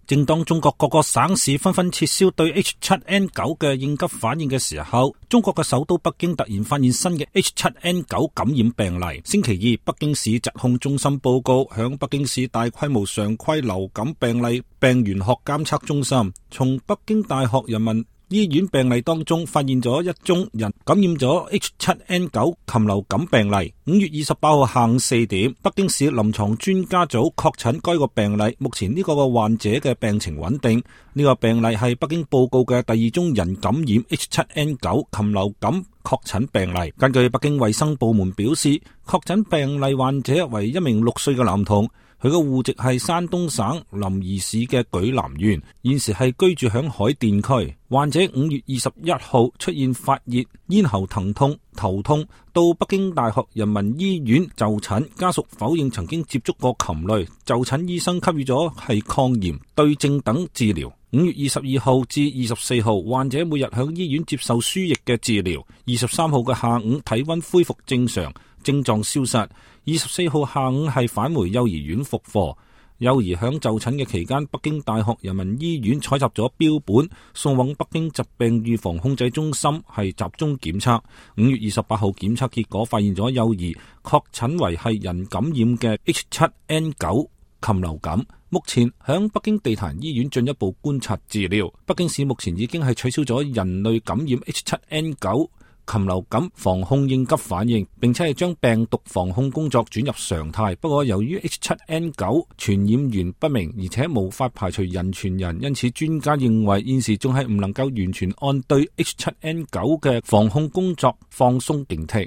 正當中國各個省市紛紛撤銷對 H7N9 嘅應急反應嘅時候，中國嘅首都北京突然發現新嘅 H7N9 感染病例。星期二，北京市疾控中心報告，響北京市大規模常規流感病例病原學監測中心從北京大學人民醫院病例當中發現咗一宗人感染咗 H7N9 禽流感病例。5月28號下午4點，北京市臨床專家組確診該個病例。目前呢個患者嘅病情穩定。呢個病例係北京報告嘅第二宗人感染 H7N9 禽流感確診病例。根據北京衛生部門表示，確診病例患者為一名6歲嘅男童。佢嘅戶籍係山東省臨沂市嘅莒南縣，現時係居住響海淀區。患者5月21號出現發熱、咽喉疼痛、頭痛，到北京大學人民醫院就診，家屬否認曾經接觸過禽類，就診醫生給予咗係抗炎、對症等治療。5月22號至24號，患者每日響醫院接受輸液嘅治療。23號嘅下午，體溫恢復正常，症狀消失。24號下午係返回幼兒園復課。幼兒響就診嘅期間，北京大學人民醫院採集咗標本，送往北京疾病預防控制中心係集中檢測。5月28號檢測結果發現咗幼兒確診為係人感染嘅 H7N9 禽流感，目前響北京地壇醫院進一步觀察治療。北京市目前已經係取消咗人類感染 H7N9 禽流感防控應急反應，並且係將病毒防控工作轉入常態。不過由於 H7N9 傳染源不明，而且無法排除人傳人，因此專家認為現時仲係唔能夠完全按對 H7N9 嘅防控工作放鬆警惕。